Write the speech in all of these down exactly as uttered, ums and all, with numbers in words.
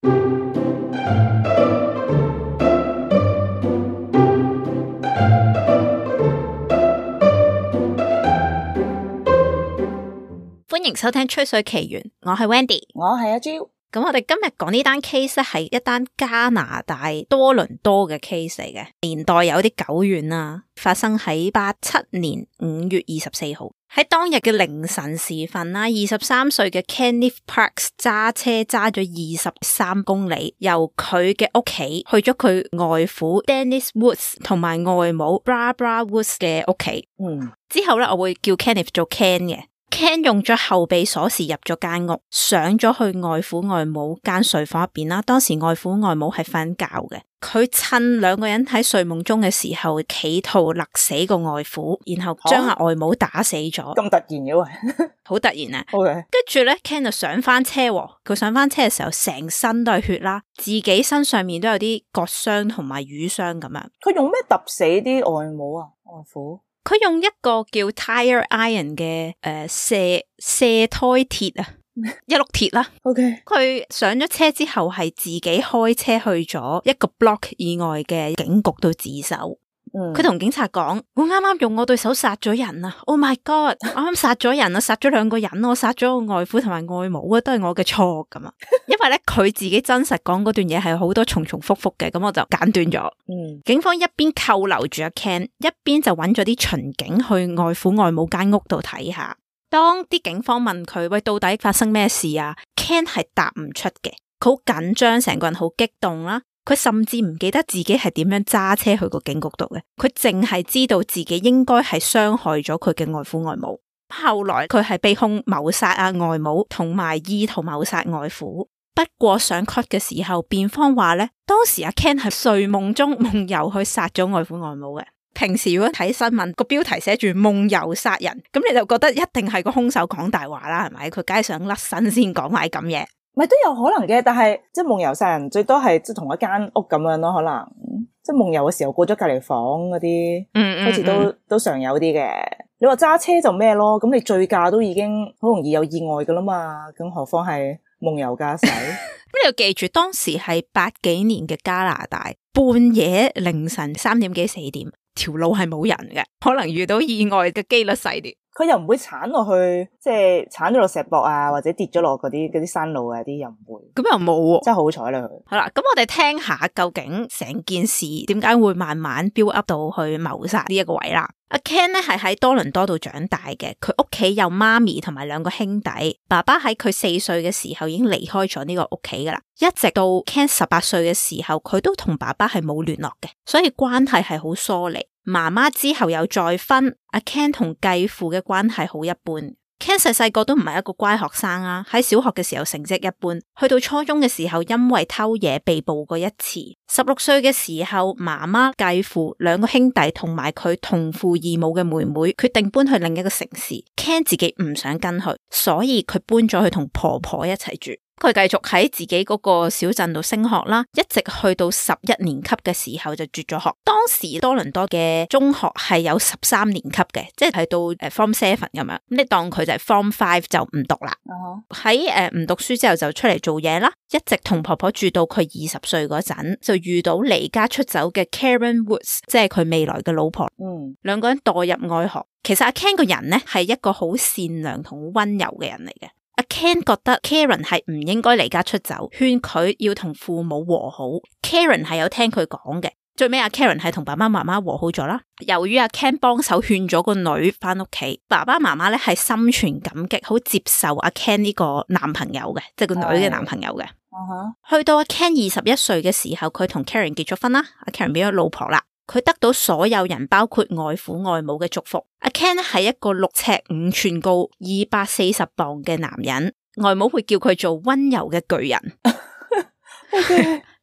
歡迎收聽吹水奇緣，我係 Wendy， 我係阿 Jo。咁我哋今日講呢單 case 咧，係一單加拿大多倫多嘅 case 嚟嘅，年代有啲久遠啦，發生喺八七年五月二十四號，喺當日嘅凌晨時分啦，二十三歲嘅 Kenneth Parks 揸車揸咗二十三公里，由佢嘅屋企去咗佢外父 Dennis Woods 同埋外母 Barbara Woods 嘅屋企。嗯，之後咧我會叫 Kenneth 做 Ken 嘅。Ken 用咗後備鎖匙入咗間屋，上咗去外父外母間睡房入邊啦。當時外父外母係瞓覺嘅，佢趁兩個人喺睡夢中嘅時候，企圖勒死個外父，然後將阿外母打死咗。咁突然嘅喂，好突然啊！ OK，跟住咧 Ken 就上翻車，佢上翻車嘅時候，成身都係血啦，自己身上面都有啲割傷同埋瘀傷咁樣。佢用咩揼死啲外母啊？外父？佢用一個叫 tire iron 嘅誒射射胎鐵啊，一碌鐵啦。OK，佢上咗車之後係自己開車去咗一個 block 以外嘅警局度自首。佢同、嗯、警察講：我啱啱用我對手殺咗人啊 ！Oh my god！ 我啱啱殺咗人啊，殺咗兩個人，我殺咗我外父同埋外母啊，都係我嘅錯咁啊！因為咧佢自己真實講嗰段嘢係好多重重複複嘅，咁我就簡短咗。嗯，警方一邊扣留住阿 Ken， 一邊就揾咗啲巡警去外父外母間屋度睇下。當啲警方問佢：喂，到底發生咩事啊 ？Ken 係答唔出嘅，佢好緊張，成個人好激動啦。佢甚至唔記得自己係點樣揸車去個警局度嘅，佢淨係知道自己應該係傷害咗佢嘅外父外母。後來佢係被控謀殺啊外母同埋意圖謀殺外父。不過上 court 嘅時候，辯方話咧，當時阿 Ken 係睡夢中夢遊去殺咗外父外母嘅。平時如果睇新聞個標題寫住夢遊殺人，咁你就覺得一定係個兇手講大話啦，係咪？佢梗係想甩身先講埋咁嘢。咪都有可能嘅，但係即係夢遊殺人最多係即係同一間屋咁樣咯，可能即係夢遊嘅時候過咗隔離房嗰啲，嗯，好似都、嗯、都常有啲嘅。你話揸車就咩咯？咁你醉駕都已經好容易有意外噶啦嘛，咁何況係夢遊駕駛？咁你要記住，當時係八幾年嘅加拿大，半夜凌晨三點幾四點，條路係冇人嘅，可能遇到意外嘅機率細啲。佢又唔會鏟落去，即係鏟咗落石壆啊，或者跌咗落嗰啲嗰啲山路啊啲又唔會。咁又冇喎，真係好彩啦佢。好啦，咁我哋聽下究竟成件事點解會慢慢 build up 到去謀殺呢一個位啦。阿 Ken 咧係喺多倫多度長大嘅，佢屋企有媽咪同埋兩個兄弟，爸爸喺佢四歲嘅時候已經離開咗呢個屋企噶啦，一直到 Ken 十八歲嘅時候，佢都同爸爸係冇聯絡嘅，所以關係係好疏離。媽媽之後有再婚，阿 Ken 同繼父嘅關係好一般。Ken 細細個都唔係一個乖學生啊，喺小學嘅時候成績一般，去到初中嘅時候因為偷嘢被捕過一次。十六歲嘅時候，媽媽、繼父兩個兄弟同埋佢同父異母嘅妹妹決定搬去另一個城市。Ken 自己唔想跟去，所以佢搬咗去同婆婆一齊住。佢繼續喺自己嗰個小鎮度升學啦，一直去到十一年級嘅時候就絕咗學。當時多倫多嘅中學係有十三年級嘅，即係到誒 Form Seven 咁樣，咁你當佢就係 Form Five 就唔讀啦。喺誒唔讀書之後就出嚟做嘢啦，一直同婆婆住到佢二十歲嗰陣，就遇到離家出走嘅 Karen Woods， 即係佢未來嘅老婆。嗯，兩個人墮入愛河。其實阿 Ken 個人咧係一個好善良同溫柔嘅人嚟嘅。阿 Ken 覺得 Karen 係唔應該離家出走，勸佢要同父母和好。Karen 係有聽佢講嘅，最尾阿 Karen 係同爸爸媽媽和好咗啦。由於阿 Ken 幫手勸咗個女翻屋企，爸爸媽媽咧係心存感激，好接受阿 Ken 呢個男朋友嘅，即係個女嘅男朋友嘅。Uh-huh. 去到阿 Ken 二十一歲嘅時候，佢同 Karen 結咗婚啦，阿 Karen 變咗老婆啦。佢得到所有人包括外父外母嘅祝福。阿 Ken 係一個六尺五寸高、二百四十磅嘅男人，外母會叫佢做溫柔嘅巨人。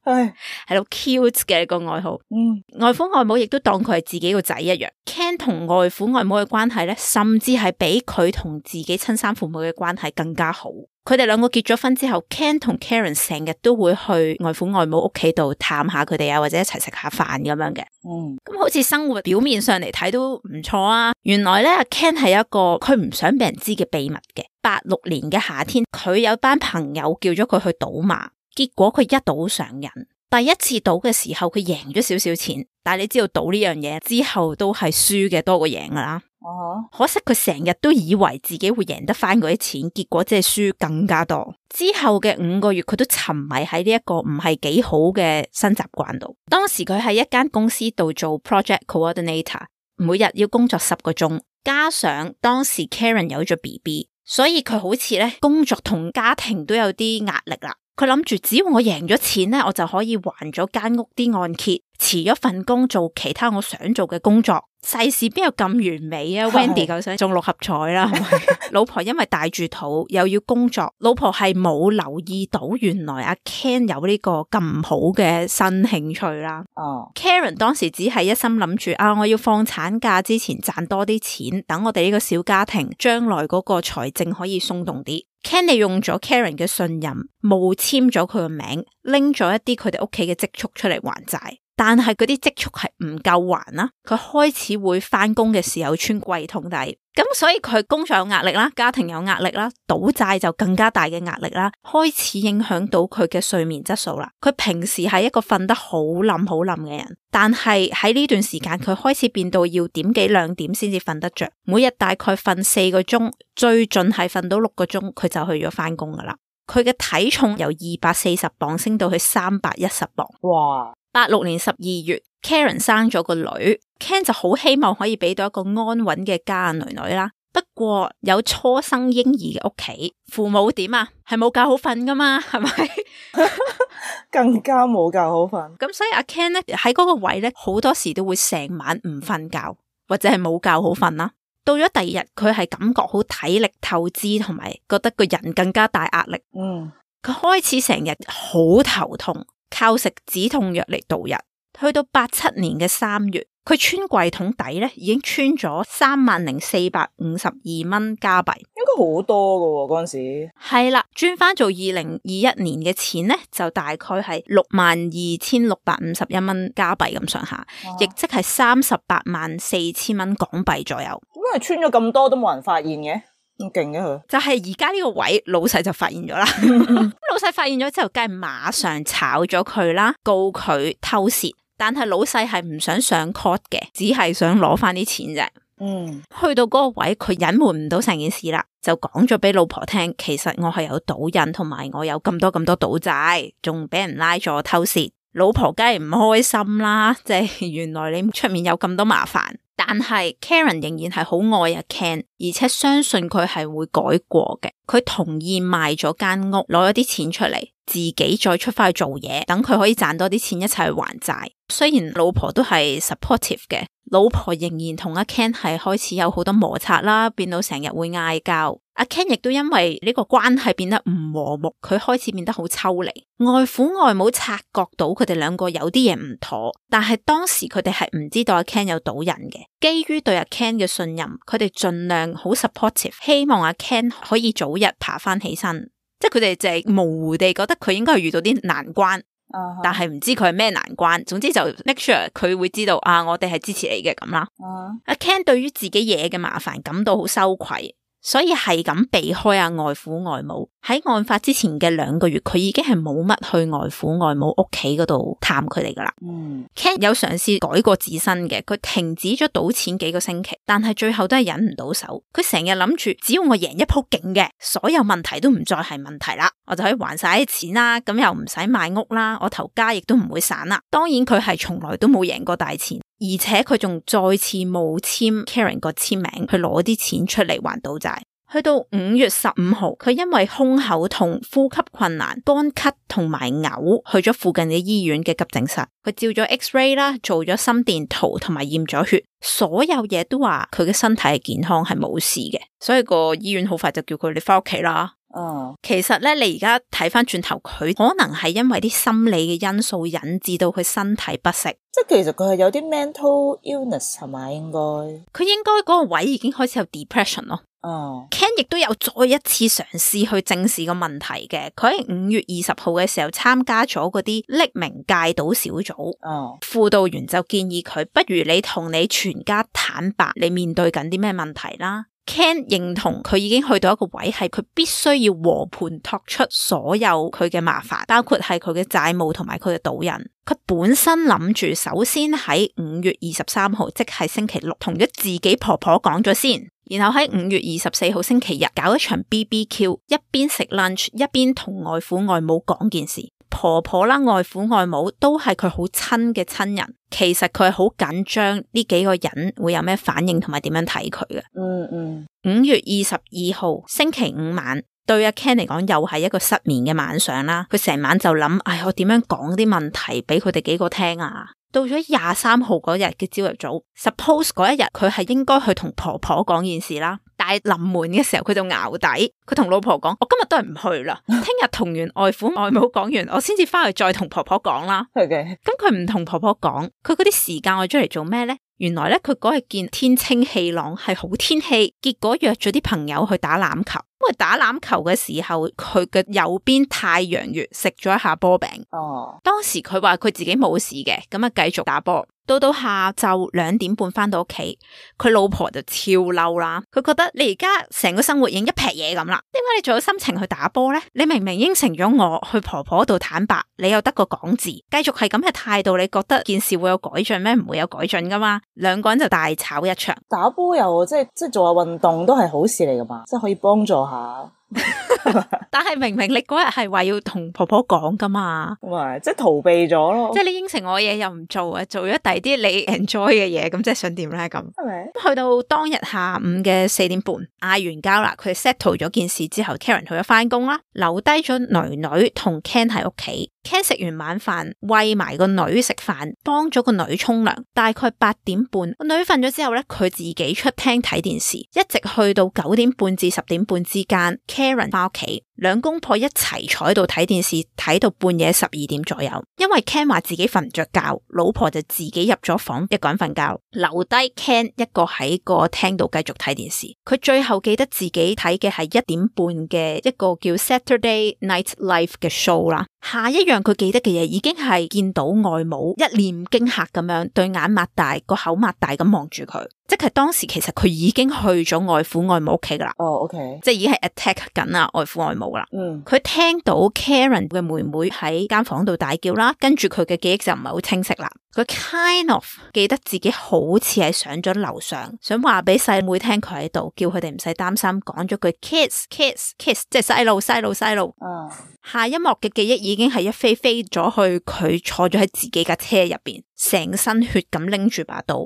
係係好 cute 嘅一個愛好。嗯，外父外母亦都當佢係自己個仔一樣。Ken 同外父外母嘅關係咧，甚至係比佢同自己親生父母嘅關係更加好。佢哋兩個結咗婚之後 ，Ken 同 Karen 成日都會去外父外母屋企度探下佢哋啊，或者一齊食下飯咁樣嘅。嗯，咁好似生活表面上嚟睇都唔錯啊。原來咧，阿 Ken 係一個佢唔想俾人知嘅秘密嘅。八六年嘅夏天，佢有班朋友叫咗佢去賭馬。結果佢一賭上癮，第一次賭嘅時候佢贏咗少少錢，但係你知道賭呢樣嘢之後都係輸嘅多過贏噶啦。Uh-huh. 可惜佢成日都以為自己會贏得翻嗰啲錢，結果即係輸更加多。之後嘅五個月佢都沉迷喺呢一個唔係幾好嘅新習慣度。當時佢喺一間公司度做 project coordinator， 每日要工作十個鐘，加上當時 Karen 有咗 B B， 所以佢好似咧工作同家庭都有啲壓力啦。佢諗住只要我贏咗錢咧，我就可以還咗間屋啲按揭，辭咗份工做其他我想做嘅工作。世事邊有咁完美啊？Wendy 夠想中六合彩啦，係咪？老婆因為帶住肚又要工作，老婆係冇留意到原來阿 Ken 有呢個咁好嘅新興趣啦。哦、oh. Karen 當時只係一心諗住啊，我要放產假之前賺多啲錢，等我哋呢個小家庭將來嗰個財政可以鬆動啲。Ken 利用咗 Karen 嘅信任，冒簽咗佢個名，拎咗一啲佢哋屋企嘅積蓄出嚟還債。但係嗰啲積蓄係唔夠還啦，佢開始會翻工嘅時候穿櫃桶底，咁所以佢工作有壓力啦，家庭有壓力啦，賭債就更加大嘅壓力啦，開始影響到佢嘅睡眠質素啦。佢平時係一個瞓得好冧好冧嘅人，但係喺呢段時間佢開始變到要點幾兩點先至瞓得着，每日大概瞓四個鐘，最盡係瞓到六個鐘，佢就去咗翻工噶啦。佢嘅體重由二百四十磅升到去三百一十磅。哇！八六年十二月 Karen 生咗個女， Ken 就好希望可以俾到一個安穩嘅家女女啦。不過有初生嬰兒嘅屋企，父母點啊？係冇覺好瞓噶嘛，係咪？更加冇覺好瞓。咁所以阿 Ken 咧喺嗰個位咧，好多時都會成晚唔瞓覺，或者係冇覺好瞓啦。到咗第二日，佢係感覺好體力透支，同埋覺得個人更加大壓力。嗯，佢開始成日好頭痛，靠食止痛藥嚟度日。去到八七年嘅三月，佢穿櫃桶底咧已經穿咗三萬零四百五十二蚊加幣，應該好多噶嗰陣時。係啦，轉翻做二零二一年嘅錢咧，就大概係六萬二千六百五十一蚊加幣咁上下，亦即係三十八萬四千蚊港幣左右。點解穿咗咁多都冇人發現嘅？咁勁嘅佢，就係而家呢個位，老細就發現咗啦。老細發現咗之後，梗係馬上炒咗佢啦，告佢偷竊。但係老細係唔想上 court 嘅，只係想攞翻啲錢啫。嗯，去到嗰個位，佢隱瞞唔到成件事啦，就講咗俾老婆聽，其實我係有賭癮，同埋我有咁多咁多賭債，仲俾人拉咗偷竊。老婆梗係唔開心啦，即係原來你出面有咁多麻煩。但係 Karen 仍然係好愛阿 Ken， 而且相信佢係會改過嘅。佢同意賣咗間屋，攞咗啲錢出嚟，自己再出翻去做嘢，等佢可以賺多啲錢一齊去還債。雖然老婆都係 supportive 嘅，老婆仍然同阿 Ken 係開始有好多摩擦啦，變到成日會嗌交。阿 Ken 亦都因為呢個關係變得唔和睦，佢開始變得好抽離。外父外母察覺到佢哋兩個有啲嘢唔妥，但係當時佢哋係唔知道阿 Ken 有賭癮嘅。基於對阿 Ken 嘅信任，佢哋盡量好 supportive， 希望阿 Ken 可以早日爬翻起身。即係佢哋就係模糊地覺得佢應該係遇到啲難關。Uh-huh. 但係唔知佢係咩難關，總之就 make sure 佢會知道啊，我哋係支持你嘅咁啦。阿、uh-huh. Ken 對於自己嘢嘅麻煩感到好羞愧，所以係咁避開阿外父外母。喺案發之前嘅兩個月，佢已經係冇乜去外父外母屋企嗰度探佢哋噶啦。嗯、mm. Ken 有嘗試改過自身嘅，佢停止咗賭錢幾個星期，但係最後都係忍唔到手。佢成日諗住，只要我贏一鋪勁嘅，所有問題都唔再係問題啦，我就可以還晒啲錢啦，咁又唔使買屋啦，我頭家亦都唔會散啦。當然佢係從來都冇贏過大錢，而且佢仲再次冒簽 Karen 個簽名去攞啲錢出嚟還賭債。去到五月十五號，佢因為胸口痛、呼吸困難、乾咳同埋嘔，去咗附近嘅醫院嘅急症室。佢照咗 X-ray 啦，做咗心電圖同埋驗咗血，所有嘢都話佢嘅身體係健康，係冇事嘅。所以個醫院好快就叫佢哋翻屋企啦。哦，其實咧，你而家睇翻轉頭，佢可能係因為啲心理嘅因素引致到佢身體不適。即係其實佢係有啲 mental illness 係咪？應該佢應該嗰個位已經開始有 depression 咯。哦、oh. ，Ken 亦都有再一次嘗試去正視個問題嘅。佢喺五月二十號嘅時候參加咗嗰啲匿名戒賭小組。哦，輔導員就建議佢，不如你同你全家坦白你面對緊啲咩問題啦。Ken 認同佢已經去到一個位，係佢必須要和盤托出所有佢嘅麻煩，包括係佢嘅債務同埋佢嘅賭癮。佢本身諗住首先喺五月二十三號，即係星期六，同咗自己婆婆講咗先，然後喺五月二十四號星期日搞一場 B B Q， 一邊食 lunch 一邊同外父外母講件事。婆婆啦、外父外母都係佢好親嘅親人，其實佢係好緊張呢幾個人會有咩反應同埋點樣睇佢嘅。嗯嗯。五月二十二號星期五晚，對阿 Ken 嚟講又係一個失眠嘅晚上啦。佢成晚就諗，唉，我點樣講啲問題俾佢哋幾個聽啊？到咗廿三號嗰日嘅朝頭早 ，suppose 嗰一日佢係應該去同婆婆講件事啦。但係臨門嘅時候佢就淆底，佢同老婆講：我今日都係唔去啦，聽日同完外父外母講完，我先至翻去再同婆婆講啦。Okay. 咁佢唔同婆婆講，佢嗰啲時間我出嚟做咩呢？原來咧佢嗰日見天清氣朗係好天氣，結果約咗啲朋友去打籃球。因為打籃球嘅時候，佢嘅右邊太陽穴食咗一下波餅。哦，當時佢話佢自己冇事嘅，咁啊繼續打波。到到下晝兩點半翻到屋企，佢老婆就超嬲啦。佢覺得你而家成個生活已經一劈嘢咁啦，點解你仲有心情去打波呢？你明明應承咗我去婆婆度坦白，你又得個講字，繼續係咁嘅態度，你覺得件事會有改進咩？唔會有改進噶嘛。兩個人就大吵一場。打波又即係即係做下運動都係好事嚟噶嘛，即係可以幫助下。但係明明你嗰日係話要同婆婆講噶嘛，唔係即係逃避咗咯，即係你應承我嘢又唔做啊，做咗第啲你 enjoy 嘅嘢，咁即係想點咧咁？係咪？去到當日下午嘅四點半，嗌完交啦，佢 settle 咗件事之後 ，Karen 去咗翻工啦，留低咗女女同 Ken 喺屋企。Ken 食完晚飯，餵埋個女食飯，幫咗個女沖涼。大概八點半，個女瞓咗之後咧，佢自己出廳睇電視，一直去到九點半至十點半之間。Karen 翻屋企，兩公婆一齊坐喺度睇電視，睇到半夜十二點左右。因為 Ken 話自己瞓唔着覺，老婆就自己入咗房，一個人瞓覺，留低 Ken 一個喺個廳度繼續睇電視。佢最後記得自己睇嘅係一點半嘅一個叫 Saturday Night Live 嘅 show 啦。下一樣佢記得嘅嘢已經係見到外母一臉驚嚇咁樣，對眼擘大，個口擘大咁望住佢。即係當時其實佢已經去咗外父外母屋企噶啦。哦、oh，OK， 即係已經係 attack 緊啊外父外母啦。嗯，佢聽到 Karen 嘅妹妹喺間房度大叫啦，跟住佢嘅記憶就唔係好清晰啦。佢 kind of 記得自己好似係上咗樓上，想話俾細妹聽佢喺度，叫佢哋唔使擔心，講咗句 kiss kiss kiss， 即係細路細路細路。嗯，下一幕嘅記憶已經係一飛飛咗去佢坐咗喺自己架車入邊，成身血咁拎住把刀，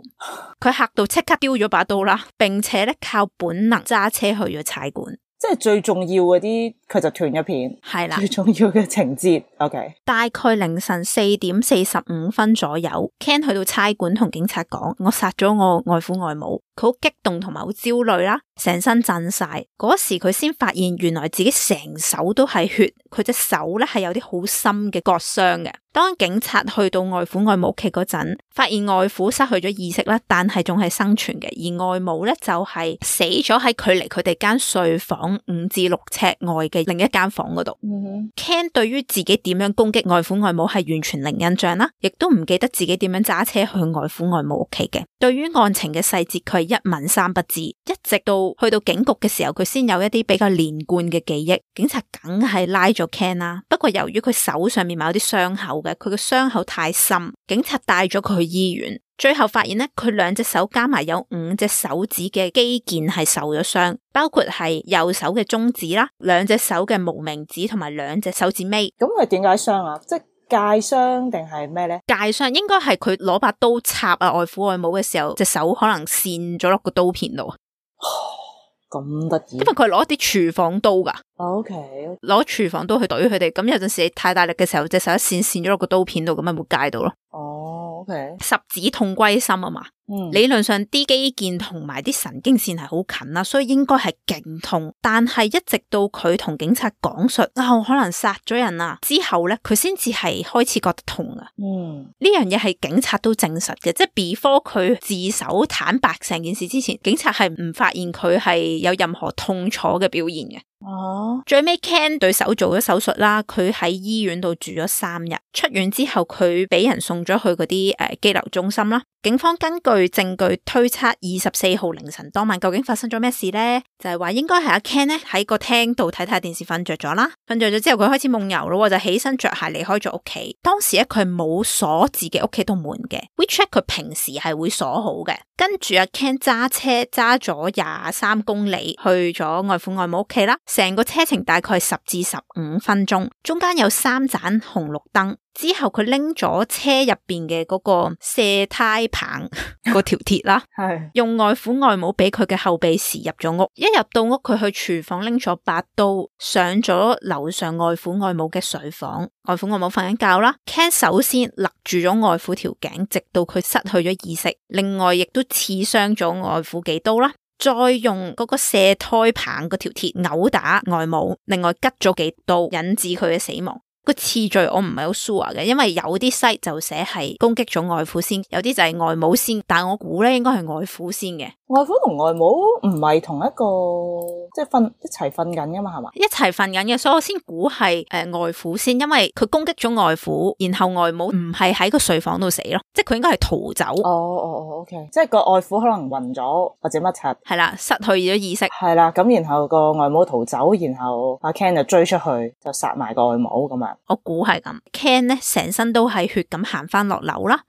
佢嚇到即刻丟咗把刀啦，並且咧靠本能揸車去咗差館。即係最重要嗰啲，佢就斷咗片。係啦，最重要嘅情節。OK，大概凌晨四點四十五分左右 ，Ken 去到差館同警察講：我殺咗我外父外母。佢好激動同埋好焦慮啦，成身震晒。嗰時佢先發現原來自己成手都係血，佢隻手咧係有啲好深嘅割傷嘅。當警察去到外父外母屋企嗰陣，發現外父失去咗意識啦，但係仲係生存嘅，而外母咧就係死咗喺距離佢哋間睡房五至六尺外嘅另一間房嗰度。Mm-hmm. Ken 對於自己點樣攻擊外父外母係完全零印象啦，亦都唔記得自己點樣揸車去外父外母屋企嘅。對於案情嘅細節，佢係一問三不知，一直到去到警局嘅時候，佢先有一啲比較連貫嘅記憶。警察梗係拉咗 Ken 啦，不過由於佢手上面有啲傷口嘅，佢嘅傷口太深，警察帶咗佢去醫院，最後發現咧，佢兩隻手加埋有五隻手指嘅肌腱係受咗傷，包括係右手嘅中指啦，兩隻手嘅無名指同埋兩隻手指尾。咁佢點解傷啊？即係界傷定係咩咧？界傷應該係佢攞把刀插啊外父外母嘅時候，隻手可能跣咗落個刀片度。咁得意，因為佢係攞啲廚房刀噶。O K， 攞廚房刀去懟佢哋，咁有陣時太大力嘅時候，隻手一跣跣咗落個刀片度，咁咪會界到咯。哦，O K， 十指痛歸心啊嘛。嗯，理論上啲肌腱同埋啲神經線係好近啦，所以應該係勁痛。但係一直到佢同警察講述啊，我可能殺咗人啊之後咧，佢先至係開始覺得痛啊。嗯，呢樣嘢係警察都證實嘅，即係 before 佢自首坦白成件事之前，警察係唔發現佢係有任何痛楚嘅表現嘅。哦，最尾 Ken 對手做咗手術啦，佢喺醫院度住咗三日，出院之後佢俾人送咗去嗰啲誒羈留中心啦。警方根據據證據推測，二十四號凌晨當晚究竟發生咗咩事呢？就係話應該係阿 Ken 咧喺個廳度睇睇電視瞓着咗啦，瞓着咗之後佢開始夢遊咯，就起身着鞋離開咗屋企。當時咧佢係冇鎖自己屋企度門嘅 ，WeChat 佢平時係會鎖好嘅。跟住阿 Ken 揸車揸咗廿三公里去咗外父外母屋企啦，成個車程大概係十至十五分鐘，中間有三盞紅綠燈。之後佢拎咗車入邊嘅嗰個卸胎棒嗰條鐵啦，係用外父外母俾佢嘅後備匙入咗屋。一入到屋，佢去廚房拎咗把刀，上咗樓上外父外母嘅睡房。外父外母瞓緊覺啦 ，Ken 首先勒住咗外父條頸，直到佢失去咗意識。另外亦都刺傷咗外父幾刀啦，再用嗰個卸胎棒嗰條鐵毆打外母，另外拮咗幾刀，引致佢嘅死亡。個次序我唔係好 sure 嘅，因為有啲 site 就寫係攻擊咗外父先，有啲就係外母先，但我估咧應該係外父先嘅。外父同外母唔係同一個，即係瞓一齊瞓緊噶嘛，係嘛？一齊瞓緊嘅，所以我先估係誒外父先，因為佢攻擊咗外父，然後外母唔係喺個睡房度死咯，即係佢應該係逃走。哦哦哦 ，OK， 即係個外父可能暈咗或者乜柒，係啦，失去咗意識，係啦，咁然後個外母逃走，然後阿 Ken 就追出去，就殺埋個外母咁樣。我估係咁 ，Ken 咧成身都係血咁行翻落樓啦。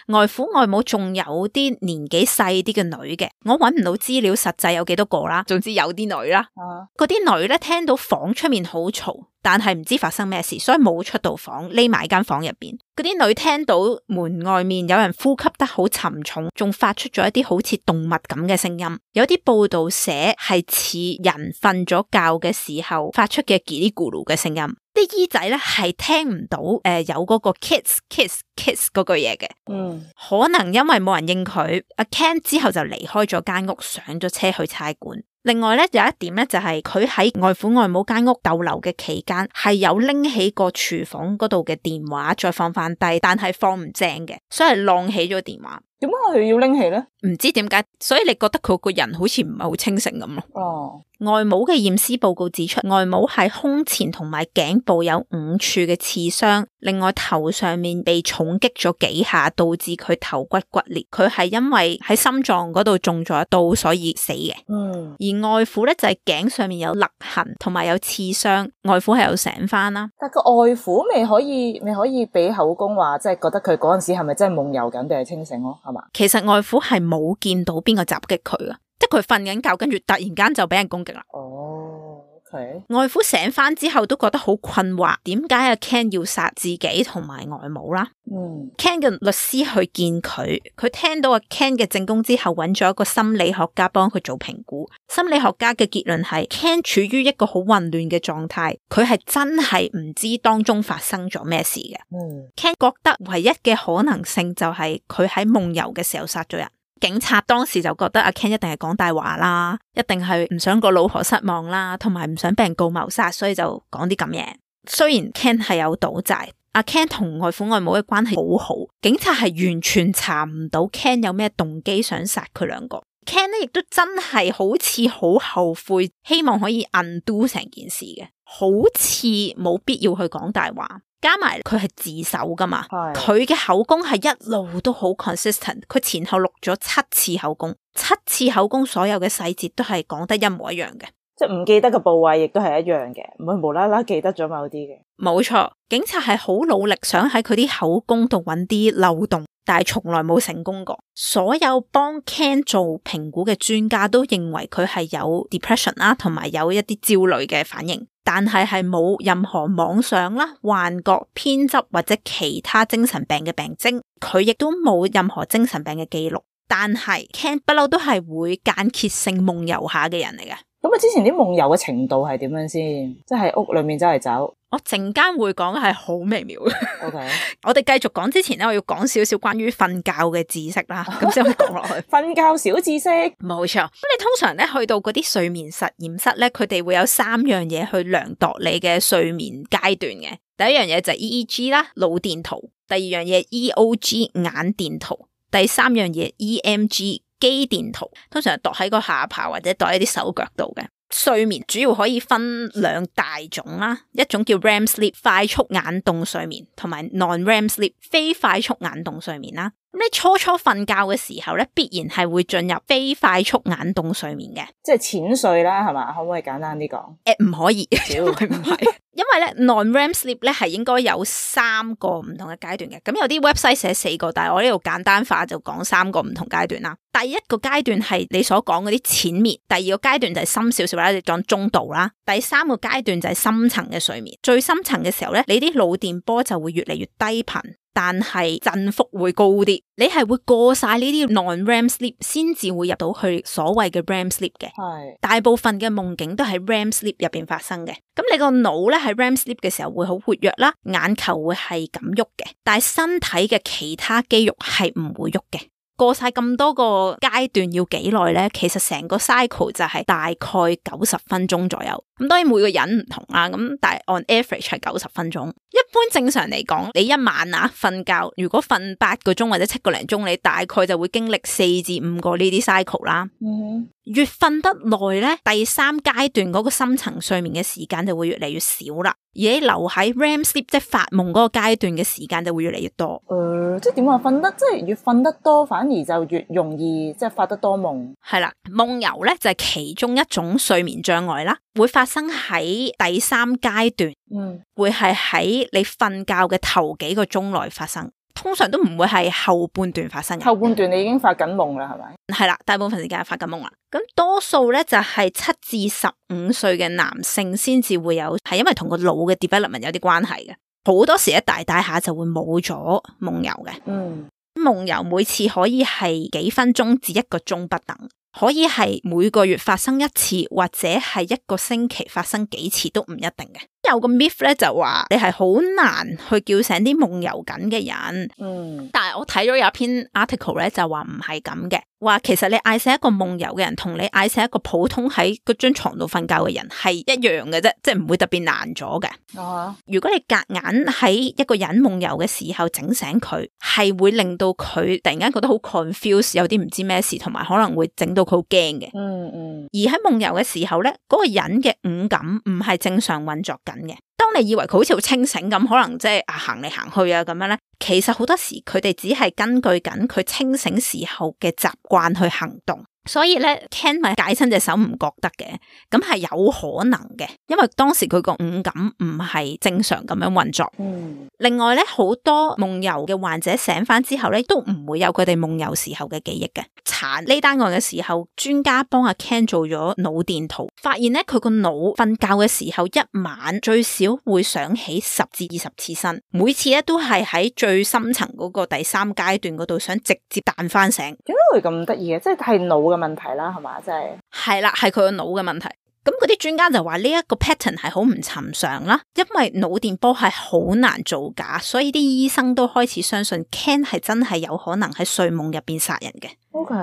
外父外母仲有啲年紀細啲嘅女嘅，我搵唔到資料實際有幾多個啦，總之有啲女啦。嗰啲、uh. 女咧聽到房出面好嘈，但係唔知發生咩事，所以冇出到房，匿埋間房入邊。嗰啲女聽到門外面有人呼吸得好沉重，仲發出咗一啲好似動物咁嘅聲音。有啲報道寫係似人瞓咗覺嘅時候發出嘅嘰哩咕嚕嘅聲音。啲姨仔咧係聽唔到誒、呃、有嗰個 kiss kiss kiss 嗰句嘢嘅，嗯，可能因為冇人應佢，阿 Ken 之後就離開咗間屋，上咗車去差館。另外咧有一點咧就係佢喺外父外母間屋逗留嘅期間係有拎起個廚房嗰度嘅電話再放翻低，但係放唔正嘅，所以晾起咗電話。點解佢要拎起咧？唔知點解，所以你覺得佢個人好似唔係好清醒咁咯。哦，外母嘅驗屍報告指出，外母喺胸前同埋頸部有五處嘅刺傷，另外頭上面被重擊咗幾下，導致佢頭骨骨裂。佢係因為喺心臟嗰度中咗一刀，所以死嘅。嗯，而外父咧就係、是、頸上面有勒痕，同埋有刺傷。外父係有醒翻啦。但個外父未可以，未可以俾口供話，即係覺得佢嗰陣時係咪真係夢遊緊定係清醒咯？係嘛？其實外父係冇見到邊個襲擊佢啊，即係佢瞓緊覺，跟住突然間就俾人攻擊啦。哦、oh, okay. 外父醒翻之後都覺得好困惑，點解阿 Ken 要殺自己同埋外母啦？嗯 Ken 嘅律師去見佢，佢聽到阿 Ken 嘅證供之後，揾咗一個心理學家幫佢做評估。心理學家嘅結論係 Ken 處於一個好混亂嘅狀態，佢係真係唔知當中發生咗咩事嘅。嗯 Ken 覺得唯一嘅可能性就係佢喺夢遊嘅時候殺咗人。警察當時就覺得阿 Ken 一定係講大話啦，一定係唔想個老婆失望啦，同埋唔想俾人告謀殺，所以就講啲咁嘢。雖然 Ken 係有賭債，阿 Ken 同外父外母嘅關係好好，警察係完全查唔到 Ken 有咩動機想殺佢兩個。Ken 咧亦都真係好似好後悔，希望可以 undo 成件事嘅，好似冇必要去講大話。加埋佢係自首噶嘛，佢嘅口供係一路都好 consistent， 佢前後錄咗七次口供，七次口供所有嘅細節都係講得一模一樣嘅，即係唔記得嘅部位亦都係一樣嘅，唔會無啦啦記得咗某啲嘅。冇錯，警察係好努力想喺佢啲口供度揾啲漏洞，但係從來冇成功過。所有幫 Ken 做評估嘅專家都認為佢係有 depression 啦，同埋有一啲焦慮嘅反應。但係係冇任何妄想啦、幻覺、偏執或者其他精神病嘅病徵，佢亦都冇任何精神病嘅記錄。但係 Ken 不嬲都係會間歇性夢遊下嘅人嚟嘅。咁啊，之前啲夢遊嘅程度係點樣先？即係喺屋裏面周圍走。我陣間會講係好微妙嘅。OK，我哋繼續講之前咧，我要講少少關於瞓覺嘅知識啦，咁先可以講落去。瞓覺小知識，冇錯。咁你通常咧去到嗰啲睡眠實驗室咧，佢哋會有三樣嘢去量度你嘅睡眠階段嘅。第一樣嘢就係 E E G 啦，腦電圖；第二樣嘢 E O G 眼電圖；第三樣嘢 E M G 肌電圖。通常係度喺個下巴或者度喺啲手腳度嘅。睡眠主要可以分兩大種啦，一種叫 R E M sleep 快速眼動睡眠，同埋 non-R E M sleep 非快速眼動睡眠啦。咁你初初瞓覺嘅時候咧，必然係會進入非快速眼動睡眠嘅，即係淺睡啦，係嘛？可唔可以簡單啲講？誒，唔可以，因為唔係，因為咧 non-R E M sleep 咧係應該有三個唔同嘅階段嘅。咁有啲 website 寫四個，但係我呢度簡單化就講三個唔同階段啦。第一個階段係你所講嗰啲淺眠，第二個階段就係深少少啦，你講中度啦，第三個階段就係深層嘅睡眠。最深層嘅時候咧，你啲腦電波就會越嚟越低頻，但係振幅會高啲，你係會過晒呢啲 non-R E M sleep 先至會入到去所謂嘅 R E M sleep 嘅。係大部分嘅夢境都喺 R E M sleep 入邊發生嘅。咁你個腦咧喺 R E M sleep 嘅時候會好活躍啦，眼球會係咁喐嘅，但係身體嘅其他肌肉係唔會喐嘅。過晒咁多個階段要幾耐咧？其實成個 cycle 就係大概九十分鐘左右。咁當然每個人唔同啦，咁但係 on average 係九十分鐘。一般正常嚟講，你一晚啊瞓覺，如果瞓八個鐘或者七個零鐘，你大概就會經歷四至五個呢啲 cycle 啦。嗯，越瞓得耐咧，第三階段嗰個深層睡眠嘅時間就會越嚟越少啦。而你留喺 R E M sleep 即係發夢嗰個階段嘅時間就會越嚟越多。誒、呃，即係點話瞓得，即係越瞓得多，反而就越容易即係發得多夢。係啦，夢遊咧就係其中一種睡眠障礙啦，會發生喺第三階段，嗯，會係喺你瞓覺嘅頭幾個鐘內發生。通常都唔會係後半段發生嘅。後半段你已經發緊夢啦，係咪？係啦，大部分時間係發緊夢啦。咁多數咧就係七至十五歲嘅男性先至會有，係因為同個腦嘅 development 有啲關係嘅。好多時一大大下就會冇咗夢遊嘅。嗯，夢遊每次可以係幾分鐘至一個鐘不等。可以係每個月發生一次，或者係一個星期發生幾次都唔一定嘅。有個 myth 咧就話你係好難去叫醒啲夢遊緊嘅人。嗯，但係我睇咗有一篇 article 咧就話唔係咁嘅，話其實你嗌醒一個夢遊嘅人同你嗌醒一個普通喺嗰張床度瞓覺嘅人係一樣嘅啫，即係唔會特別難咗嘅。啊，如果你夾硬喺一個人夢遊嘅時候整醒佢，係會令到佢突然間覺得好 confused， 有啲唔知咩事，同埋可能會整到佢好驚嘅。嗯嗯。而喺夢遊嘅時候咧，嗰個人嘅五感唔係正常運作緊嘅。當你以為佢好似好清醒咁，可能即係啊行嚟行去啊咁樣咧，其實好多時佢哋只係根據緊佢清醒時候嘅習慣去行動。所以咧 Ken 咪解親隻手唔覺得嘅，咁係有可能嘅，因為當時佢個五感唔係正常咁樣運作。嗯，另外咧，好多夢遊嘅患者醒翻之後咧，都唔會有佢哋夢遊時候嘅記憶嘅。查呢單案嘅時候，專家幫阿 Ken 做咗腦電圖，發現咧佢個腦瞓覺嘅時候一晚最少會想起十至二十次身，每次咧都係喺最深層嗰個第三階段嗰度想直接彈翻醒。點解會咁得意嘅？即係係腦嘅問題啦，係嘛？即係係啦，係佢個腦嘅問題。咁嗰啲專家就話呢一個 pattern 係好唔尋常啦，因為腦電波係好難造假，所以啲醫生都開始相信 Ken 係真係有可能喺睡夢入邊殺人嘅。OK，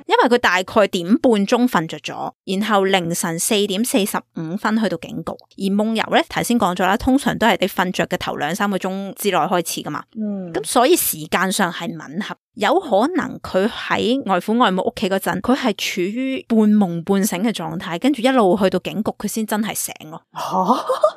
因為佢大概點半鐘瞓着咗，然後凌晨四點四十五分去到警局。而夢遊咧，頭先講咗啦，通常都係你瞓着嘅頭兩三個鐘之內開始噶嘛。嗯，咁所以時間上係吻合，有可能佢喺外父外母屋企嗰陣，佢係處於半夢半醒嘅狀態，跟住一路去到警局，佢先真係醒咯。吓，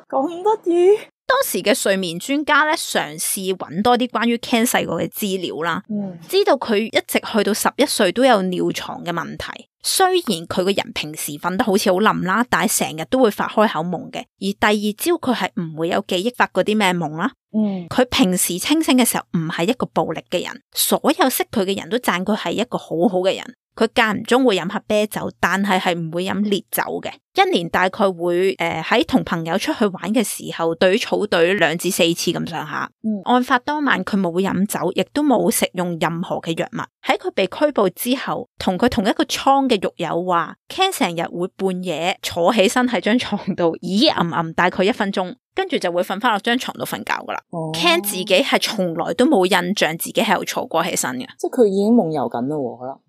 咁得意！當時嘅睡眠專家咧，嘗試揾多啲關於 Ken 細個嘅資料啦，嗯，知道佢一直去到十一歲都有尿床嘅問題。雖然佢個人平時瞓得好似好冧啦，但係成日都會發開口夢嘅。而第二朝佢係唔會有記憶發嗰啲咩夢啦。嗯，佢平時清醒嘅時候唔係一個暴力嘅人，所有識佢嘅人都讚佢係一個好好嘅人。佢間唔中會飲下啤酒，但係係唔會飲烈酒嘅。一年大概會誒喺同朋友出去玩嘅時候，隊草隊兩至四次咁上下。嗯，案發當晚佢冇飲酒，亦都冇食用任何嘅藥物。喺佢被拘捕之後，同佢同一個倉嘅獄友話 Ken 成日會半夜坐起身喺張床度，咦吟吟大概一分鐘，跟住就會瞓翻落張床度瞓覺噶啦。哦、Ken 自己係從來都冇印象自己係有坐過起身嘅，即係佢已經夢遊緊啦，可能。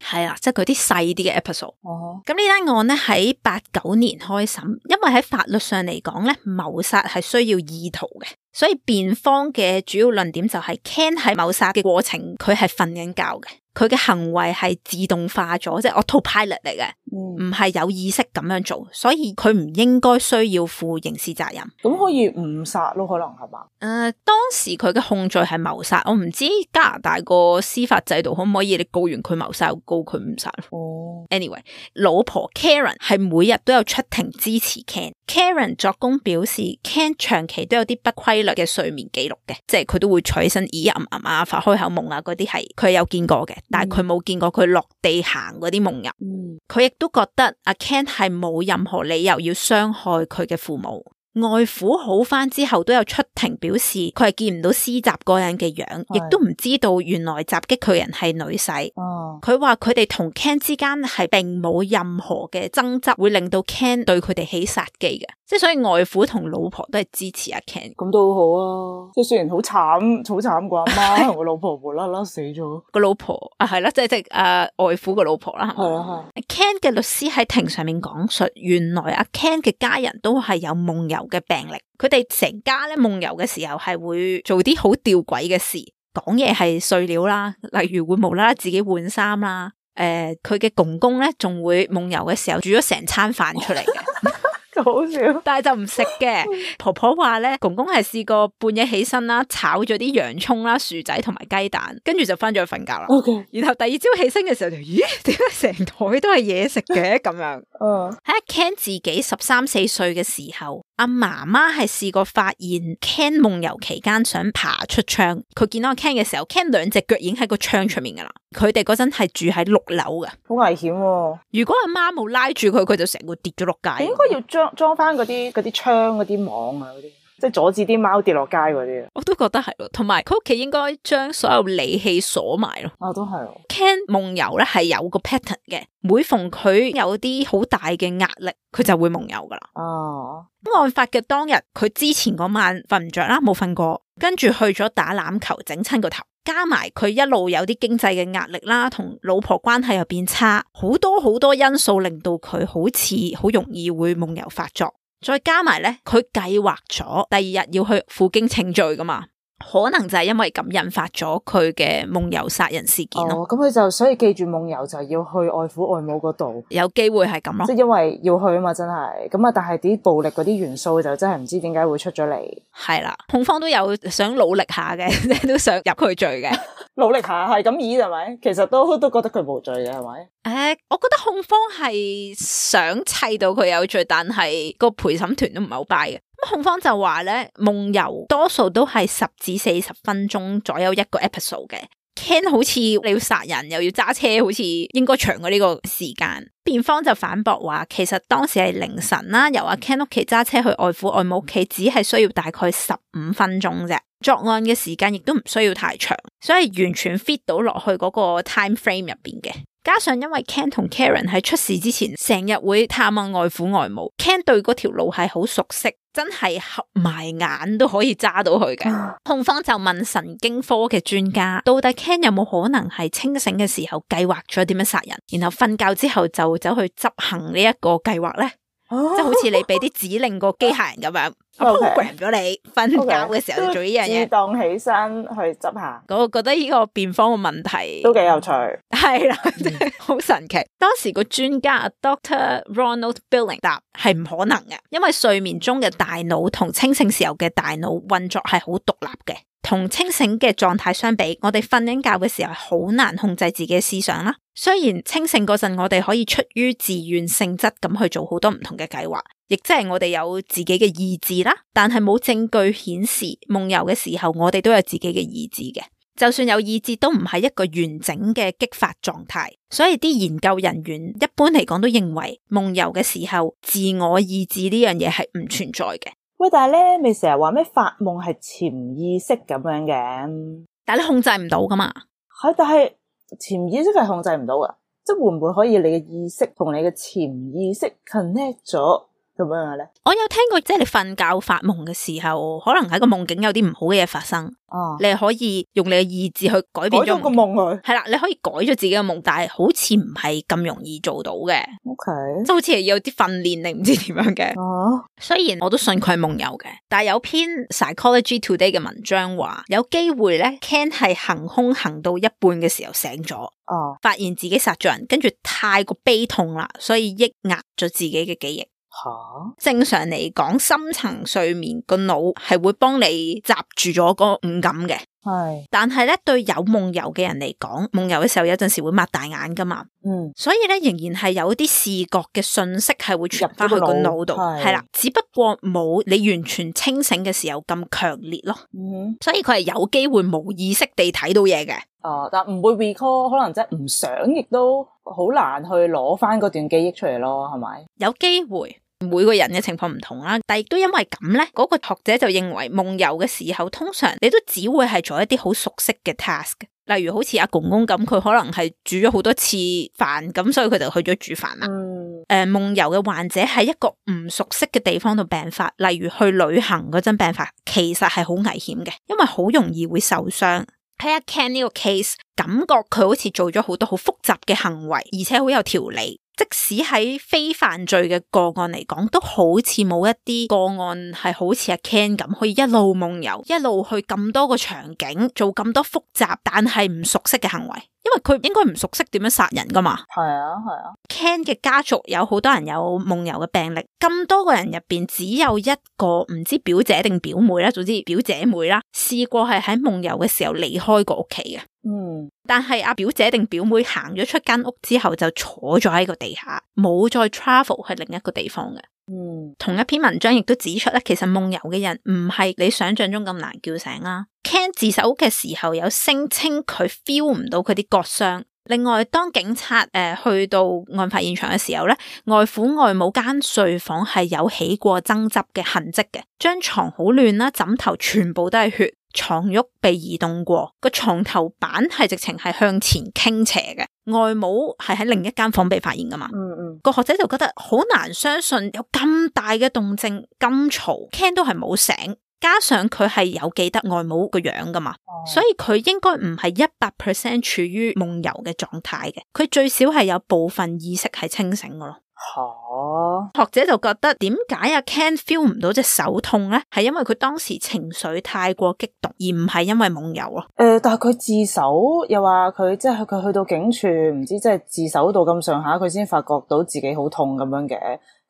係啦，即係佢啲細啲嘅 episode。咁呢單案咧喺八九年開審，因為喺法律上嚟講咧，謀殺係需要意圖嘅。所以辯方嘅主要論點就係 Ken 喺謀殺嘅過程，佢係瞓緊覺嘅，佢嘅行為係自動化咗，即係 autopilot 嚟嘅，唔係、嗯、有意識咁樣做，所以佢唔應該需要負刑事責任。咁可以誤殺咯，可能係嘛？誒、呃，當時佢嘅控罪係謀殺，我唔知加拿大個司法制度可唔可以你告完佢謀殺，又告佢誤殺。哦 ，anyway， 老婆 Karen 係每日都有出庭支持 Ken。Karen 作供表示 ，Ken 長期都有啲不規律嘅睡眠記錄嘅，即係佢都會坐起身咦吟吟啊，發開口夢啊，嗰啲係佢有見過嘅，但係佢冇見過佢落地行嗰啲夢遊。佢亦、嗯、都覺得阿 Ken 係冇任何理由要傷害佢嘅父母。外父好翻之後都有出庭表示，佢係見唔到施襲嗰人嘅樣，亦都唔知道原來襲擊佢人係女婿。佢話佢哋同 Ken 之間係並冇任何嘅爭執，會令到 Ken 對佢哋起殺機嘅。即係所以外父同老婆都係支持阿 Ken。咁都好啊，即係雖然好慘，好慘個阿媽同個老婆無啦啦死咗。個老婆啊係啦，即係即係誒外父個老婆啦。係啊係。Ken 嘅律師喺庭上面講述，原來阿 Ken 嘅家人都係有夢遊嘅病歷，佢哋成家咧夢遊嘅時候係會做啲好吊詭嘅事，講嘢係碎料啦，例如會無啦啦自己換衫啦，誒、呃，佢嘅公公咧仲會夢遊嘅時候煮咗成餐飯出嚟嘅。好笑，但係就唔食嘅。婆婆話咧，公公係試過半夜起身啦，炒咗啲洋蔥啦、薯仔同埋雞蛋，跟住就翻咗去瞓覺啦。Okay. 然後第二朝起身嘅時候就，咦？點解成台都係嘢食嘅咁樣？嗯，喺 Ken 自己十三四歲嘅時候，阿媽媽係試過發現 Ken 夢遊期間想爬出窗，佢見到阿 Ken 嘅時候 ，Ken 兩隻腳已經喺個窗出面噶啦。佢哋嗰陣係住喺六樓嘅，好危險喎。如果阿媽冇拉住佢，佢就成個跌咗落街。應該要裝裝翻嗰啲嗰啲窗嗰啲網啊，嗰啲即係阻止啲貓跌落街嗰啲。我都覺得係咯，同埋佢屋企應該將所有利器鎖埋咯。啊，都係。Ken 夢遊咧係有個 pattern 嘅，每逢佢有啲好大嘅壓力，佢就會夢遊噶啦。哦。案發嘅當日，佢之前嗰晚瞓唔着啦，冇瞓過，跟住去咗打籃球，整親個頭。加埋佢一路有啲經濟嘅壓力啦，同老婆關係又變差，好多好多因素令到佢好似好容易會夢遊發作。再加埋咧，佢計劃咗第二日要去負荊請罪噶嘛，可能就係因為咁引發咗佢嘅夢遊殺人事件咯。哦，咁佢就所以記住夢遊就係要去外父外母嗰度，有機會係咁咯。即係因為要去啊嘛，真係咁啊！但係啲暴力嗰啲元素就真係唔知點解會出咗嚟。係啦，控方都有想努力下嘅，即係都想入佢罪嘅。努力下係咁意係咪？其實都都覺得佢無罪嘅係咪？誒、呃，我覺得控方係想砌到佢有罪，但係個陪審團都唔係好 buy 嘅。咁控方就話咧，夢遊多數都係十至四十分鐘左右一個 episode 嘅。Ken 好似你要殺人又要揸車，好似應該長過呢個時間。辯方就反駁話，其實當時係凌晨啦，由阿 Ken 屋企揸車去外父外母屋企，只係需要大概十五分鐘啫。作案嘅時間亦都唔需要太長，所以完全 fit 到落去嗰個 time frame 入邊嘅。加上因為 Ken 同 Karen 喺出事之前成日會探望外父外母 ，Ken 對嗰條路係好熟悉，真係合埋眼都可以揸到佢嘅。控方就問神經科嘅專家，到底 Ken 有冇可能係清醒嘅時候計劃咗點樣殺人，然後瞓覺之後就走去執行呢一個計劃呢？Oh. 即係好似你俾啲指令個機械人咁樣 program 咗你瞓覺嘅時候就做呢樣嘢，自動起身去執下。我覺得呢個辯方嘅問題都幾有趣，係啦，真係好神奇。當時個專家 Doctor Ronald Billing 答係唔可能嘅，因為睡眠中嘅大腦同清醒時候嘅大腦運作係好獨立嘅。同清醒嘅狀態相比，我哋瞓緊覺嘅時候係好難控制自己嘅思想啦。雖然清醒嗰陣，我哋可以出於自願性質咁去做好多唔同嘅計劃，亦即係我哋有自己嘅意志啦。但係冇證據顯示夢遊嘅時候，我哋都有自己嘅意志嘅。就算有意志，都唔係一個完整嘅激發狀態。所以啲研究人員一般嚟講都認為，夢遊嘅時候，自我意志呢樣嘢係唔存在嘅。喂，但係咧，咪成日話咩發夢係潛意識咁樣嘅，但係你控制唔到噶嘛？係，但係潛意識係控制唔到噶，即係會唔會可以你嘅意識同你嘅潛意識 connect 咗，咁樣嘅咧？我有聽過，即係你瞓覺發夢嘅時候，可能喺個夢境有啲唔好嘅嘢發生，哦、啊，你係可以用你嘅意志去改變咗改咗個夢佢。係啦，你可以改咗自己嘅夢，但係好似唔係咁容易做到嘅。OK，即係好似係有啲訓練定唔知點樣嘅。哦、啊，雖然我都信佢係夢遊嘅，但係有篇 Psychology Today 嘅文章話，有機會咧 Ken 係行兇行到一半嘅時候醒咗，哦、啊，發現自己殺咗人，跟住太過悲痛啦，所以抑壓咗自己嘅記憶。吓，正常嚟講，深層睡眠個腦係會幫你閘住咗個五感嘅，係。但係咧，對有夢遊嘅人嚟講，夢遊嘅時候有陣時會擘大眼噶嘛，嗯，所以咧仍然係有啲視覺嘅信息係會傳翻去個腦度，係啦，只不過冇你完全清醒嘅時候咁強烈咯，嗯，所以佢係有機會冇意識地睇到嘢嘅。哦，但唔會 recall， 可能即係唔想，亦都好難去攞翻嗰段記憶出嚟咯，係咪？有機會。每個人嘅情況唔同啦，但亦都因為咁咧，嗰個學者就認為夢遊嘅時候，通常你都只會係做一啲好熟悉嘅 task，例如好似阿公公咁，佢可能係煮咗好多次飯，咁所以佢就去咗煮飯啦。嗯，誒、呃，夢遊嘅患者喺一個唔熟悉嘅地方度病發，例如去旅行嗰陣病發，其實係好危險嘅，因為好容易會受傷。睇下 Ken 呢個 case，感覺佢好似做咗好多好複雜嘅行為，而且好有條理。即使喺非犯罪嘅個案嚟講，都好似冇一啲個案係好似阿 Ken 咁，可以一路夢遊，一路去咁多個場景，做咁多複雜但係唔熟悉嘅行為。因為佢應該唔熟悉點樣殺人噶嘛。係啊，係啊。Ken 嘅家族有好多人有夢遊嘅病歷，咁多個人入邊只有一個唔知表姐定表妹啦，總之表姐妹啦，試過係喺夢遊嘅時候離開過屋企嘅。嗯，但係阿表姐定表妹行咗出間屋之後就坐咗喺個地下，冇再 travel 去另一個地方嘅。嗯，同一篇文章亦都指出咧，其實夢遊嘅人唔係你想象中咁難叫醒啦。Ken 自首嘅時候有聲稱佢 feel 唔到佢啲割傷。另外，當警察誒、呃、去到案發現場嘅時候咧，外父外母間睡房係有起過爭執嘅痕跡嘅，張床好亂啦，枕頭全部都係血，床褥被移動過，個床頭板係直情係向前傾斜嘅。外母係喺另一間房被發現噶嘛？嗯嗯，個學者就覺得好難相信有咁大嘅動靜咁嘈 ，Ken 都係冇醒。加上佢係有記得外母個樣噶嘛，哦、所以佢應該唔係一百 percent 處於夢遊嘅狀態嘅，佢最少係有部分意識係清醒噶咯。吓，學者就覺得點解阿 Ken feel 唔到隻手痛咧？係因為佢當時情緒太過激動，而唔係因為夢遊咯。誒、呃，但係佢自首又話佢即係佢去到警署，唔知即係自首到咁上下，佢先發覺到自己好痛咁樣嘅。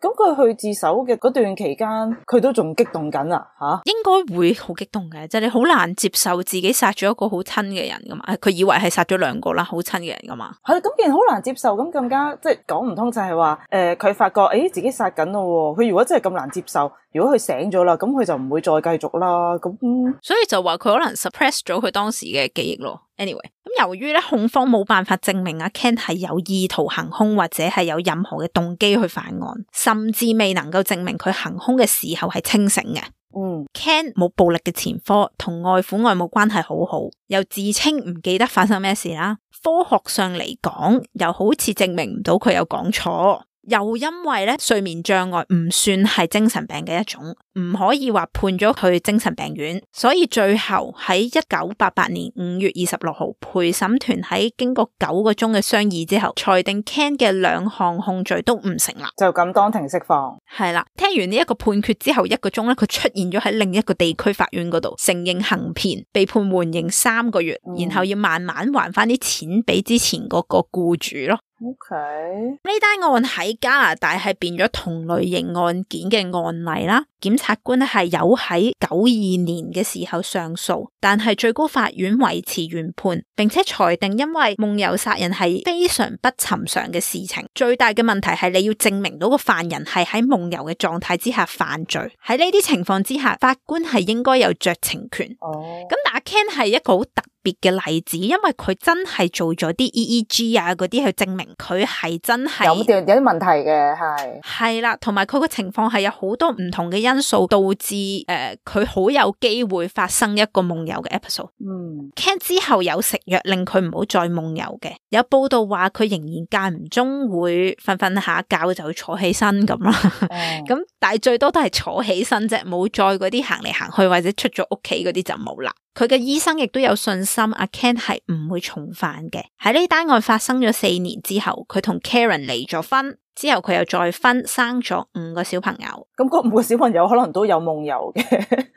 咁佢去自首嘅嗰段期間，佢都仲激動緊啊！吓，應該會好激動嘅，即係你好難接受自己殺咗一個好親嘅人噶嘛。佢以為係殺咗兩個啦，好親嘅人噶嘛。係咁，既然好難接受，咁更加即係講唔通就係話，誒、呃，佢發覺誒、欸、自己殺緊咯。佢如果真係咁難接受，如果佢醒咗啦，咁佢就唔會再繼續啦。咁、嗯、所以就話佢可能 suppress 咗佢當時嘅記憶咯。Anyway，咁由於咧控方冇辦法證明阿 Ken 係有意圖行兇或者係有任何嘅動機去犯案，甚至未能夠證明佢行兇嘅時候係清醒嘅。嗯 ，Ken 冇暴力嘅前科，同外父外母關係好好，又自稱唔記得發生咩事啦。科學上嚟講，又好似證明唔到佢有講錯。又因為咧睡眠障礙唔算係精神病嘅一種，唔可以話判咗佢精神病院，所以最後喺一九八八年五月二十六號，陪審團喺經過九個鐘嘅商議之後，裁定 Ken 嘅兩項控罪都唔成立，就咁當庭釋放。係啦，聽完呢一個判決之後一個鐘咧，佢出現咗喺另一個地區法院嗰度，承認行騙，被判緩刑三個月，嗯、然後要慢慢還翻啲錢俾之前嗰個僱主咯。OK，呢單案喺加拿大係變咗同類型案件嘅案例啦。檢察官咧係有喺九二年嘅時候上訴，但係最高法院維持原判，並且裁定因為夢遊殺人係非常不尋常嘅事情，最大嘅問題係你要證明到個犯人係喺夢遊嘅狀態之下犯罪。喺呢啲情況之下，法官係應該有酌情權。哦，咁但係 Ken 係一個好特別嘅例子，因為佢真係做咗啲 E E G 啊嗰啲去證明佢係真係有啲有啲問題嘅，係係啦，同埋佢個情況係有好多唔同嘅因素導致誒佢好有機會發生一個夢遊嘅 episode。嗯 Ken 之後有食藥令佢唔好再夢遊嘅，有報道話佢仍然間唔中會瞓瞓下覺就坐起身咁啦，咁、嗯、但係最多都係坐起身啫，冇再嗰啲行嚟行去或者出咗屋企嗰啲就冇啦。佢嘅醫生亦都有信心阿 Ken 係唔會重犯嘅。喺呢單案發生咗四年之後，佢同 Karen 離咗婚。之後佢又再婚，生咗五個小朋友。咁嗰五個小朋友可能都有夢遊嘅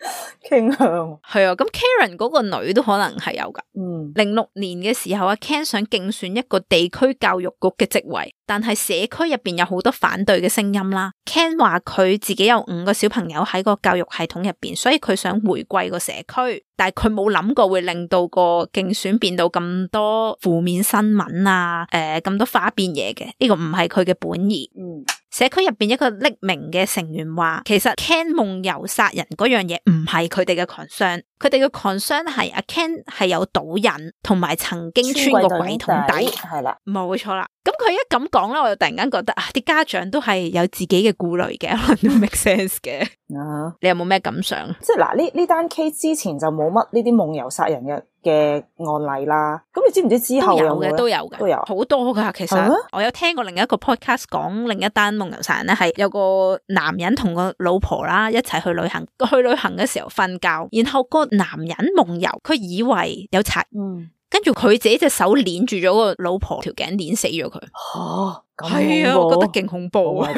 傾向。係啊，咁 Karen 嗰個女都可能係有噶。嗯，零六年嘅時候，阿 Ken 想競選一個地區教育局嘅職位，但係社區入邊有好多反對嘅聲音啦。Ken 話佢自己有五個小朋友喺個教育系統入邊，所以佢想回歸個社區，但係佢冇諗過會令到個競選變到咁多負面新聞啊，誒、呃、咁多花邊嘢嘅，呢個唔係佢嘅本意。嗯，社區入邊一個匿名嘅成員話，其實 Ken 夢遊殺人嗰樣嘢唔係佢哋嘅 concern，佢哋嘅 concern 係阿 Ken 係有賭癮，同埋曾經穿過櫃桶底，係啦，冇錯啦。咁佢一咁講咧，我就突然間覺得啊，啲家長都係有自己嘅顧慮嘅，可能都 make sense 嘅。啊，你有冇咩感想？即係嗱，呢呢單 case 之前就冇乜呢啲夢遊殺人嘅嘅案例啦。咁你知唔知之後有嘅？都有嘅，都有好多噶。其實我有聽過另一個 podcast 講另一單夢遊殺人咧，係有個男人同個老婆啦一齊去旅行，去旅行嘅時候瞓覺，然後個男人夢遊，佢以為有賊。嗯。跟住佢自己隻手鏈住咗個老婆條頸，鏈死咗佢。吓，係啊，我覺得勁恐怖啊！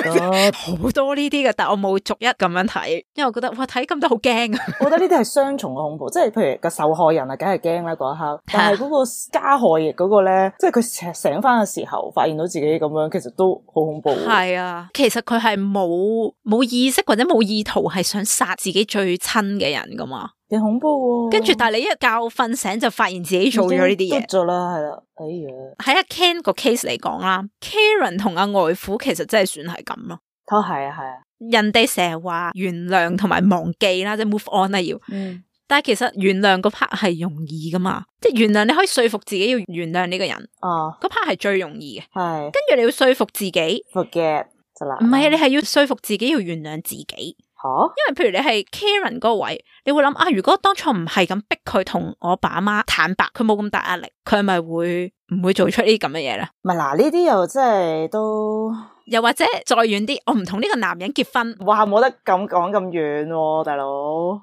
好多呢啲嘅，但我冇逐一咁樣睇，因為我覺得哇，睇咁多好驚啊！我覺得呢啲係雙重嘅恐怖，即係譬如個受害人啊，梗係驚啦嗰一刻，但係嗰個加害嗰個咧，即係佢醒翻嘅時候，發現到自己咁樣，其實都好恐怖。係啊，其實佢係冇冇意識或者冇意圖係想殺自己最親嘅人噶嘛。幾恐怖喎！跟住，但係你一覺瞓醒就發現自己做咗呢啲嘢，咗啦，係啦，哎呀！喺阿 Ken 個 case 嚟講啦 ，Karen 同阿外父其實真係算係咁咯。哦，係啊，係啊。人哋成日話原諒同埋忘記啦，即係 move on 啦要。嗯。但係其實原諒嗰 part 係容易噶嘛，即係原諒你可以說服自己要原諒呢個人。哦。嗰 part 係最容易嘅。係。跟住你要說服自己 ，forget 就啦。唔係啊，你係要說服自己要原諒自己。吓，因為譬如你係 Karen 嗰個位，你會諗啊，如果當初唔係咁逼佢同我爸阿媽坦白，佢冇咁大壓力，佢係咪會唔會做出呢啲咁嘅嘢咧？唔係嗱，呢啲又真係都，又或者再遠啲，我唔同呢個男人結婚，哇，冇得咁講咁遠喎，大佬。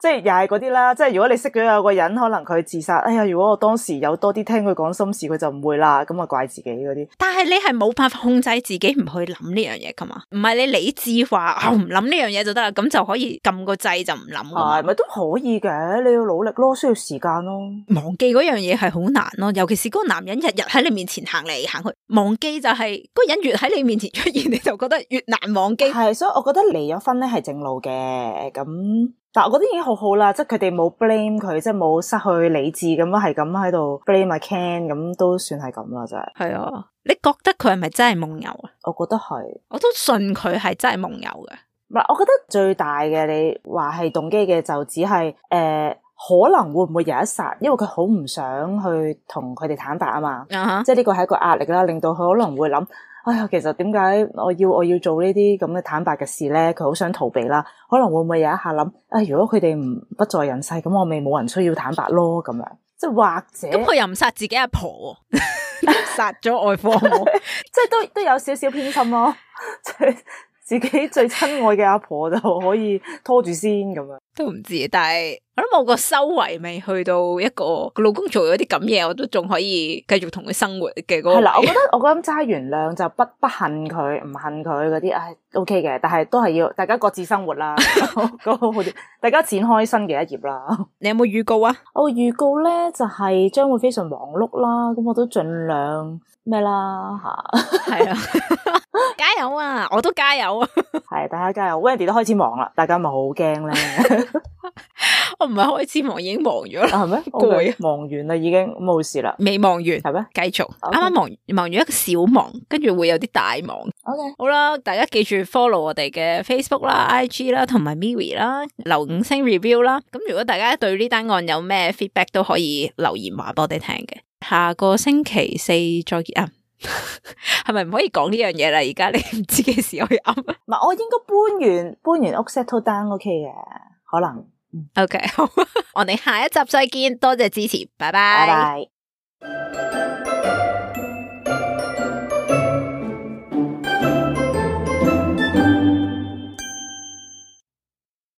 即係又係嗰啲啦，即係如果你識咗有個人，可能佢自殺，哎呀，如果我當時有多啲聽佢講心事，佢就唔會啦，咁啊怪自己嗰啲。但係你係冇辦法控制自己唔去諗呢樣嘢噶嘛？唔係你理智話我唔諗呢樣嘢就得啦，咁就可以撳個掣就唔諗。係咪都可以嘅？你要努力咯，需要時間咯。忘記嗰樣嘢係好難咯，尤其是嗰個男人日日喺你面前行嚟行去，忘記就係、是、嗰個人越喺你面前出現，你就覺得越難忘記。係，所以我覺得離咗婚咧係正路嘅咁。但係我覺得已經好好啦，即係佢哋冇 blame 佢，即係冇失去理智咁樣，係咁喺度 blame 阿 Ken，咁都算係咁啦，真係。係啊，你覺得佢係咪真係夢遊啊？我覺得係，我都信佢係真係夢遊嘅。唔係，我覺得最大嘅你話係動機嘅就只係誒、呃，可能會唔會有一剎，因為佢好唔想去同佢哋坦白啊嘛，uh-huh. 即係呢個係一個壓力啦，令到佢可能會諗。哎呀，其實點解我要我要做呢啲咁嘅坦白嘅事咧？佢好想逃避啦，可能會唔會有一下諗，啊、哎，如果佢哋唔不在人世，咁我咪冇人需要坦白咯，咁樣，即係或者咁佢又唔殺自己阿婆，殺咗外父，即係都都有少少偏心咯，即係自己最親愛嘅阿婆就可以拖住先咁樣，都唔知，但係我諗我個修為未去到一個個老公做咗啲咁嘢，我都仲可以繼續同佢生活嘅嗰個。係啦，我覺得我覺得齋原諒就不不恨佢，唔恨佢嗰啲，唉 OK 嘅，但係都係要大家各自生活啦，嗰個好啲，大家展開新嘅一頁啦。你有冇預告啊？我預告咧就係、是、將會非常忙碌啦，咁我都盡量咩啦吓，係啊。加油啊！我都加油啊！係大家加油 ，Wendy 都開始忙啦，大家咪好驚咧。我唔係開始忙，已經忙咗啦。係咩？攰，忙完啦，已經冇事啦。未忙完係咩？繼續。啱 Okay. 啱忙忙完一個小忙，跟住會有啲大忙。OK，好啦，大家記住 follow 我哋嘅 Facebook 啦、I G 啦，同埋 Miri 啦，留五星 review 啦。咁如果大家對呢單案有咩 feedback 都可以留言話俾我哋聽嘅。下個星期四再見啊！係咪唔可以講呢樣嘢啦？而家你唔知幾時可以噏？唔係，我應該搬完搬完屋 settle down OK 嘅，可能。OK，好，我哋下一集再見，多謝支持，拜拜。拜拜。